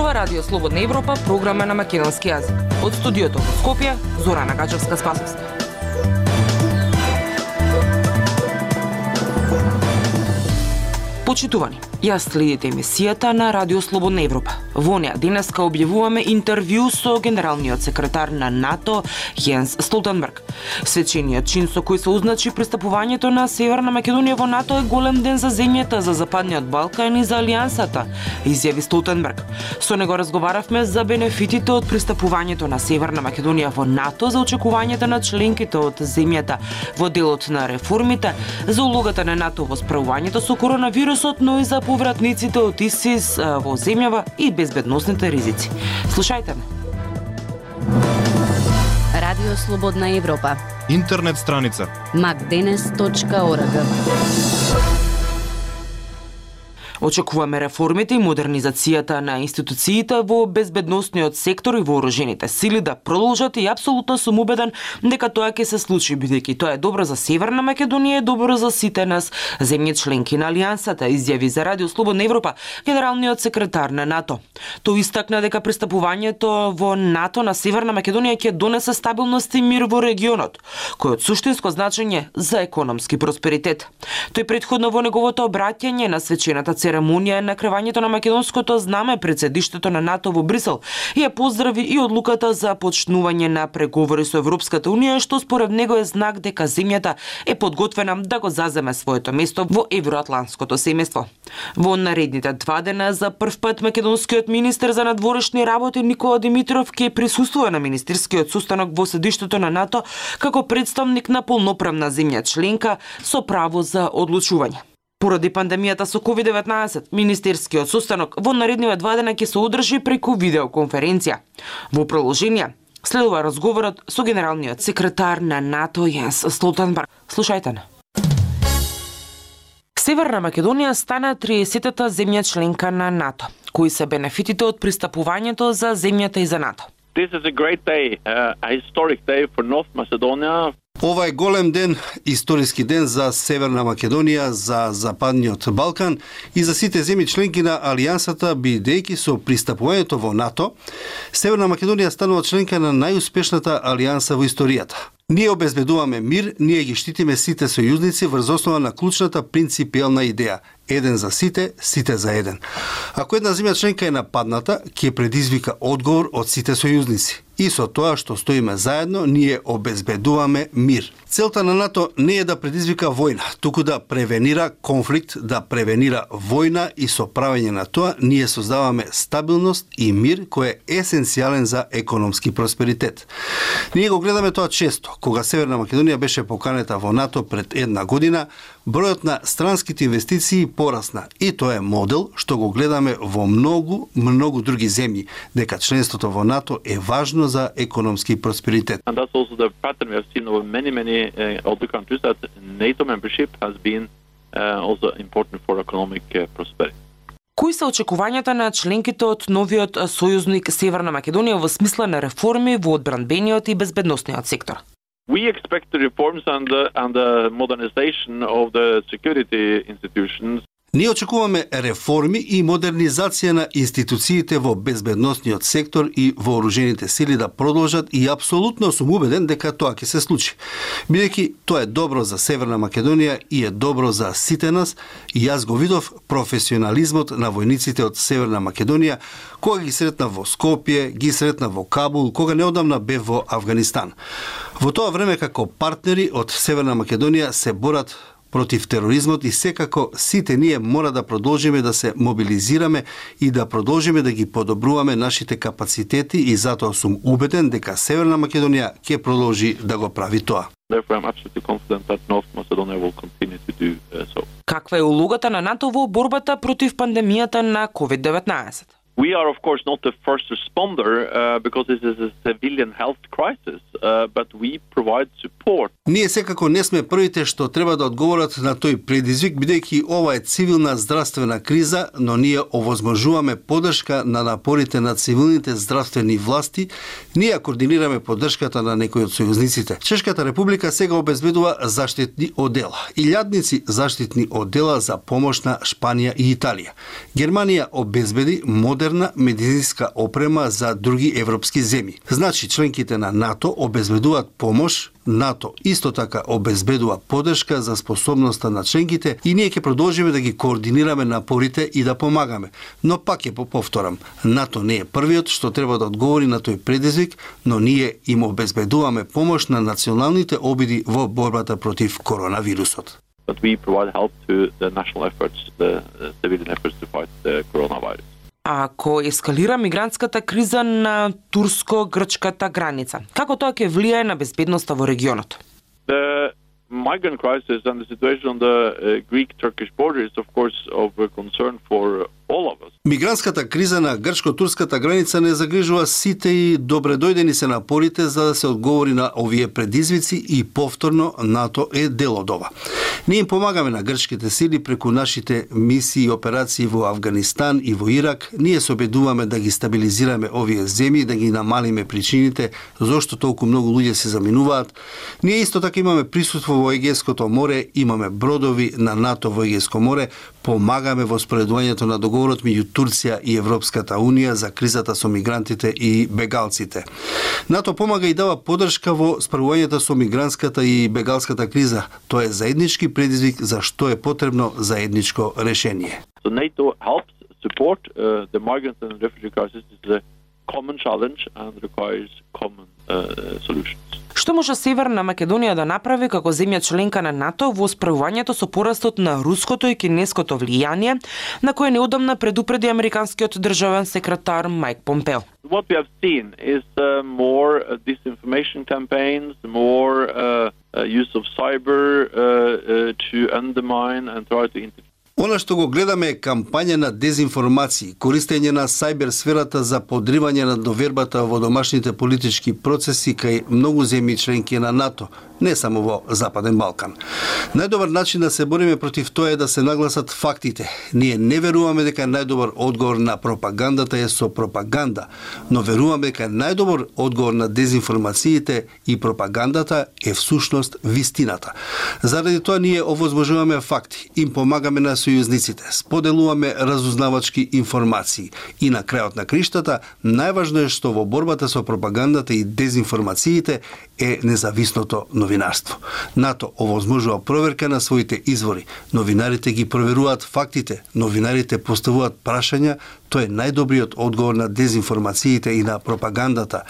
зборува Радио Слободна Европа, програма на македонски јазик. Од студиото во Скопје, Зорана Гачевска-Спасовска. Почитувани, јас следите емисијата на Радио Слободна Европа. Во неа денеска објавуваме интервју со генералниот секретар на НАТО Јенс Столтенберг. Свечениот чин со кој се означи пристапувањето на Северна Македонија во НАТО е голем ден за земјата, за Западниот Балкан и за Алијансата, изјави Столтенберг. Со него разговаравме за бенефитите од пристапувањето на Северна Македонија во НАТО, за очекувањата на членките од земјата во делот на реформите, за улогата на НАТО во справувањето со коронавирусот, но и за повратниците од ИСИС во земјава и безбедносните ризици. Слушајте ме. Радио Слободна Европа. Интернет страница macdenes.org. Очекуваме реформите и модернизацијата на институциите во безбедносниот сектор и вооружените сили да продолжат и апсолутно сум убеден дека тоа ќе се случи, бидејќи тоа е добро за Северна Македонија и добро за сите нас, земји членки на Алијансата, изјави за Радио Слободна Европа генералниот секретар на НАТО. Тој истакна дека пристапувањето во НАТО на Северна Македонија ќе донесе стабилност и мир во регионот, кој од суштинско значење за економски просперитет. Тој претходно во неговото обраќање на свечената церемонија на кревањето на македонското знаме пред седиштето на НАТО во Брисел ја поздрави и одлуката за почнување на преговори со Европската Унија, што според него е знак дека земјата е подготвена да го заземе своето место во евроатлантското семејство. Во наредните 2 дена за прв пат македонскиот министер за надворешни работи Никола Димитров ќе присуствува на министерскиот состанок во седиштето на НАТО како представник на полноправна земја членка со право за одлучување. Поради пандемијата со COVID-19, министерскиот состанок во наредниве 2 дена ќе се одржи преку видеоконференција. Во продолжение следува разговорот со генералниот секретар на НАТО Јенс Столтенберг. Слушајте не. Северна Македонија стана 30-та земја членка на НАТО. Кои се бенефитите од пристапувањето за земјата и за НАТО? This is a great day, a historic day for North Macedonia. Ова е голем ден, историски ден за Северна Македонија, за Западниот Балкан и за сите земји членки на Алијансата, бидејќи со пристапувањето во НАТО, Северна Македонија станува членка на најуспешната алијанса во историјата. Ние обезбедуваме мир, ние ги штитиме сите сојузници врз основа на клучната принципиелна идеја: еден за сите, сите за еден. Ако една земја членка е нападната, ќе предизвика одговор од сите сојузници. И со тоа што стоиме заедно, ние обезбедуваме мир. Целта на НАТО не е да предизвика војна, туку да превенира конфликт, да превенира војна, и со правење на тоа ние создаваме стабилност и мир кој е есенцијален за економски просперитет. Ние го гледаме тоа често. Кога Северна Македонија беше поканета во НАТО пред 1 година, бројот на странските инвестиции порасна, и тоа е модел што го гледаме во многу други земји, дека членството во НАТО е важно за економски просперитет. And that's also the pattern we have seen over many other countries, that NATO membership has been also important for economic prosperity. Кои се очекувањата на членките од новиот сојузник Северна Македонија во смисла на реформи во одбранбениот и безбедносниот сектор? We expect the reforms and the modernization of the security institutions. Ние очекуваме реформи и модернизација на институциите во безбедносниот сектор и вооружените сили да продолжат, и апсолутно сум убеден дека тоа ќе се случи. Бидејќи тоа е добро за Северна Македонија и е добро за сите нас, и јас го видов професионализмот на војниците од Северна Македонија кога ги сретна во Скопје, ги сретна во Кабул, кога неодамна бев во Авганистан. Во тоа време како партнери од Северна Македонија се борат против тероризмот, и секако сите ние мора да продолжиме да се мобилизираме и да продолжиме да ги подобруваме нашите капацитети, и затоа сум убеден дека Северна Македонија ќе продолжи да го прави тоа. Therefore, I'm absolutely confident that North Macedonia will continue to do so. Каква е улогата на НАТО во борбата против пандемијата на COVID-19? We are, of course, not the first responder because this is a civilian health crisis, but we provide support. Ние секако не сме првите што треба да одговорат на тој предизвик, бидејќи ова е цивилна здравствена криза, но ние овозможуваме поддршка на напорите на цивилните здравствени власти. Ние координираме поддршката на некои од сојузниците. Чешката република сега обезбедува заштитни одела, илјадници заштитни одела за помош на Шпанија и Италија. Германија обезбеди модерни модерна медицинска опрема за други европски земји. Значи, членките на НАТО обезбедуваат помош, НАТО исто така обезбедува поддршка за способноста на членките и ние ќе продолжиме да ги координираме напорите и да помагаме. Но пак ќе повторам, НАТО не е првиот што треба да одговори на тој предизвик, но ние им обезбедуваме помош на националните обиди во борбата против коронавирусот. But we provide help to the national efforts, the civilian efforts to fight the coronavirus. Ако ескалира мигрантската криза на турско-грчката граница, како тоа ќе влијае на безбедноста во регионот? The migrant crisis and the situation on the Greek-Turkish border is of course of concern for all of us. Мигрантската криза на грчко-турската граница не загрижува сите и добре дојдени се напорите за да се одговори на овие предизвици и повторно НАТО е дел од ова. Ние им помагаме на грчките сили преку нашите мисии и операции во Авганистан и во Ирак. Ние се обидуваме да ги стабилизираме овие земји, да ги намалиме причините зошто толку многу луѓе се заминуваат. Ние исто така имаме присуство во Егејското море, имаме бродови на НАТО во Егејско море, помагаме во спроведувањето на договорот меѓу Турција и Европската Унија за кризата со мигрантите и бегалците. НАТО помага и дава поддршка во справувањето со мигрантската и бегалската криза. Тоа е заеднички предизвик за што е потребно заедничко решение. So NATO helps support the migrant and refugee crisis is a common challenge and requires common solutions. Што може Северна Македонија да направи како земја членка на НАТО во справувањето со порастот на руското и кинеското влијание, на кое неодамна предупреди американскиот државен секретар Майк Помпео? What we have seen is more disinformation campaigns, more use of cyber to undermine and try to interfere. Она што го гледаме е кампања на дезинформации, користење на сајбер сферата за подривање на довербата во домашните политички процеси кај многу земји членки на НАТО, не само во Западен Балкан. Најдобар начин да се бориме против тоа е да се нагласат фактите. Ние не веруваме дека најдобар одговор на пропагандата е со пропаганда, но веруваме дека најдобар одговор на дезинформациите и пропагандата е всушност вистината. Заради тоа ние овозможуваме факти, им помагаме на сојузниците, споделуваме разузнавачки информации и на крајот на криштата најважно е што во борбата со пропагандата и дезинформациите е независното новинарство. НАТО овозможува проверка на своите извори. Новинарите ги проверуваат фактите, новинарите поставуваат прашања, тоа е најдобриот одговор на дезинформациите и на пропагандата.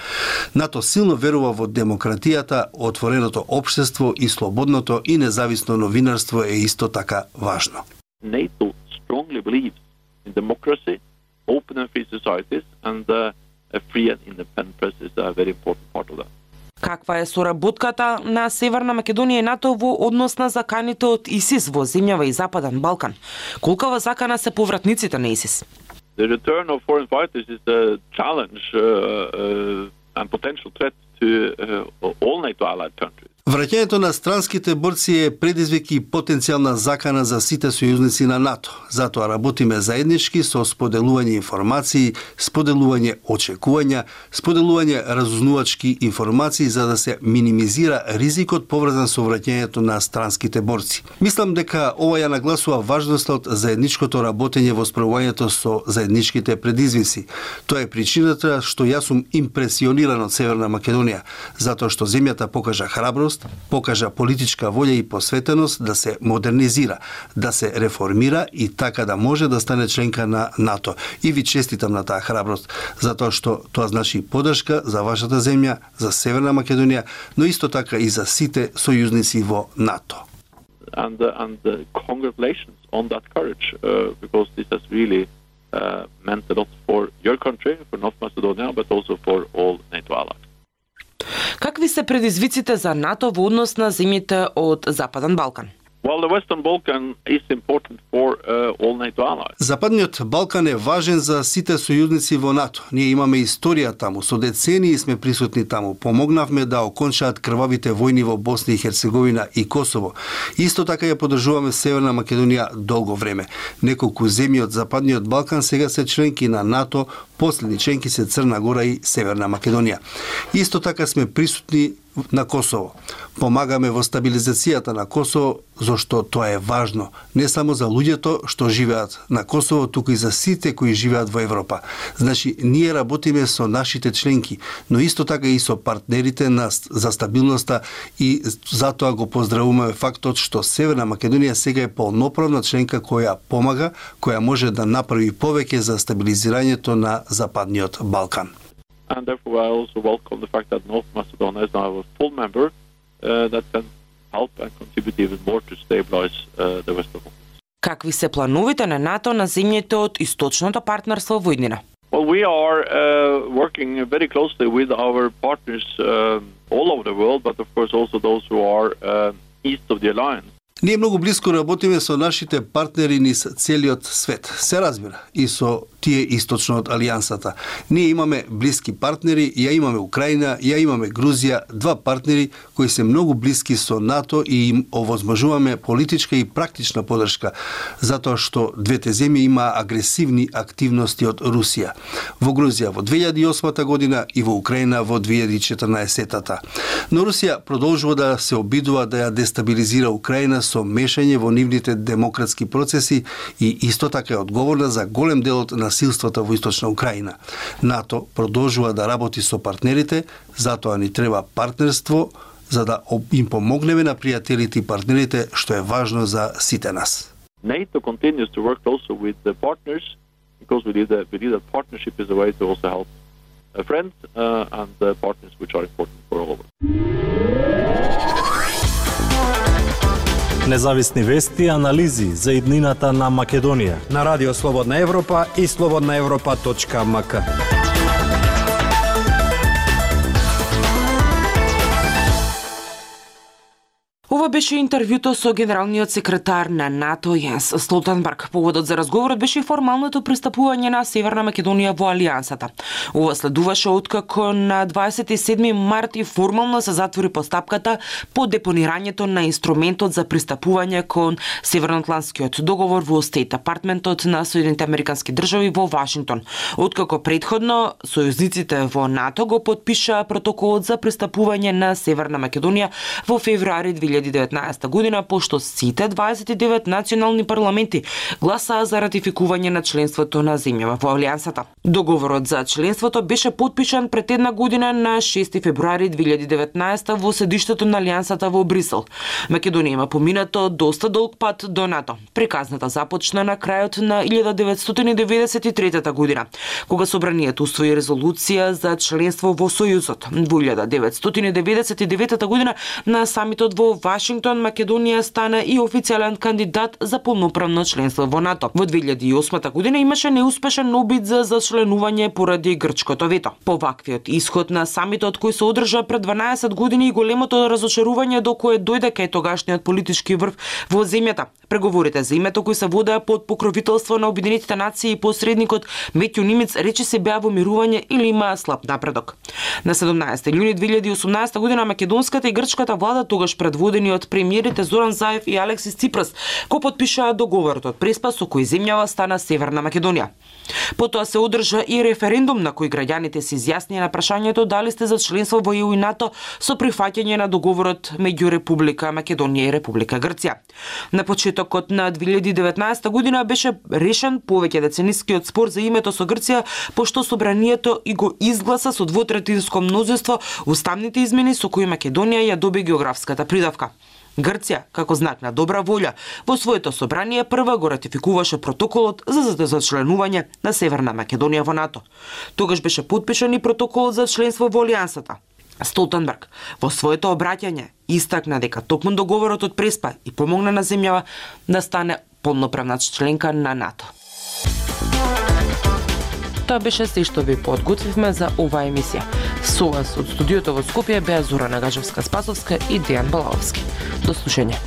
НАТО силно верува во демократијата, отвореното општество и слободното и независно новинарство е исто така важно. NATO strongly believes in democracy, open and free societies, and a free and independent press is a very important part of that. Каква е соработката на Северна Македонија и НАТО во однос на заканите од ИСИС во земјава и Западен Балкан? Колкава закана се повратниците на ИСИС? The return of foreign fighters is a challenge and potential threat to all NATO allied countries. Враќањето на странските борци е предизвик и потенцијална закана за сите сојузници на НАТО. Затоа работиме заеднички со споделување информации, споделување очекувања, споделување разузнавачки информации за да се минимизира ризикот поврзан со враќањето на странските борци. Мислам дека ова ја нагласува важноста од заедничкото работење во справувањето со заедничките предизвици. Тоа е причината што јас сум импресиониран од Северна Македонија, затоа што земјата покажа храброст, покажа политичка волја и посветеност да се модернизира, да се реформира и така да може да стане членка на НАТО. И ви честитам на таа храброст, затоа што тоа значи поддршка за вашата земја, за Северна Македонија, но исто така и за сите сојузници во НАТО. And congratulations on that courage, because this has really meant a lot for your country, for North Macedonia, but also for all NATO allies. Какви се предизвиците за НАТО во однос на земјите од Западен Балкан? Well, the Western Balkan is important for all NATO allies. Западниот Балкан е важен за сите сојузници во НАТО. Ние имаме историја таму, со децении сме присутни таму. Помогнавме да окончаат крвавите војни во Босна и Херцеговина и Косово. Исто така ја поддржуваме Северна Македонија долго време. Неколку земји од Западниот Балкан сега се членки на НАТО, последни членки се Црна Гора и Северна Македонија. Исто така сме присутни на Косово. Помагаме во стабилизацијата на Косово, зашто тоа е важно, не само за луѓето што живеат на Косово, туку и за сите кои живеат во Европа. Значи, ние работиме со нашите членки, но исто така и со партнерите за стабилноста и затоа го поздравуваме фактот што Северна Македонија сега е полноправна членка која помага, која може да направи повеќе за стабилизирањето на Западниот Балкан. And therefore, I also welcome the fact that North Macedonia is now a full member that can help and contribute even more to stabilize the Western Balkans. Какви се плановите на НАТО на земјите од источното партнерство во иднина? Well, we are working very closely with our partners all over the world, but of course also those who are east of the alliance. Ние многу близко работиме со нашите партнери низ целиот свет. Се разбира, и со тие источно од Алијансата. Ние имаме блиски партнери, ја имаме Украина, ја имаме Грузија, два партнери кои се многу блиски со НАТО и им овозможуваме политичка и практична подршка, затоа што двете земји има агресивни активности од Русија. Во Грузија во 2008 година и во Украина во 2014. Но Русија продолжува да се обидува да ја дестабилизира Украина со мешање во нивните демократски процеси и исто така е одговорна за голем дел од насилствата во источна Украина. НАТО продолжува да работи со партнерите, затоа ни треба партнерство за да им помогнеме на пријателите и партнерите, што е важно за сите нас. NATO continues to work also with the partners because we believe that partnership is a way to also help friends and partners which are important for all of us. Независни вести и анализи за иднината на Македонија на Радио Слободна Европа и slobodnaevropa.mk. Ова беше интервјуто со генералниот секретар на НАТО Јенс Столтенберг. Поводот за разговорот беше формалното пристапување на Северна Македонија во Алијансата. Ова следуваше откако на 27 март и формално се затвори постапката по депонирањето на инструментот за пристапување кон Северноатлантскиот договор во Стейт Департментот на Соединетите Американски држави во Вашингтон. Откако претходно сојузниците во НАТО го потпиша протоколот за пристапување на Северна Македонија во февруари 2019 година, пошто сите 29 национални парламенти гласаа за ратификување на членството на земјава во Алијансата. Договорот за членството беше потпишан пред една година на 6 февруари 2019 во седиштето на Алијансата во Брисел. Македонија има поминато доста долг пат до НАТО. Приказната започна на крајот на 1993 година, кога собранието усвои резолуција за членство во Сојузот. Во 1999 година на самитот во Вашингтон, Македонија стана и официјален кандидат за полноправно членство во НАТО. Во 2008 година имаше неуспешен обид за зачленување поради грчкото вето. По ваквиот исход на самитот кој се одржа пред 12 години и големото разочарување до кое дојде кај тогашниот политички врв во земјата. Преговорите за името кои се водеа под покровителство на Обединетите нации и посредникот Метју Нимец рече се беа во мирување или имаа слаб напредок. На 17 јуни 2018 година македонската и грчката влада, тогаш предводени од премиерите Зоран Заев и Алексис Ципрас, го потпишаа договорот од Преспа со кој земјава стана Северна Македонија. Потоа се одржа и референдум на кој граѓаните се изјаснија на прашањето дали сте за членство во ЕУ и НАТО со прифаќање на договорот меѓу Република Македонија и Република Грција. На почетокот на 2019 година беше решен повеќе деценискиот спор за името со Грција, пошто собранието и го изгласа со двотретинско мнозинство уставните измени со кои Македонија ја доби географската придавка. Грција, како знак на добра волја, во своето собрание прва го ратификуваше протоколот за зачленување на Северна Македонија во НАТО. Тогаш беше потпишан и протоколот за членство во Алијансата. Столтенберг во своето обраќање истакна дека токму договорот од Преспа и помогна на земјава да стане полноправна членка на НАТО. Тоа беше се што ви подготвивме за оваа емисија. Со вас од студиото во Скопје беа Зорана Гажевска-Спасовска и Дејан Балаовски. До слушање.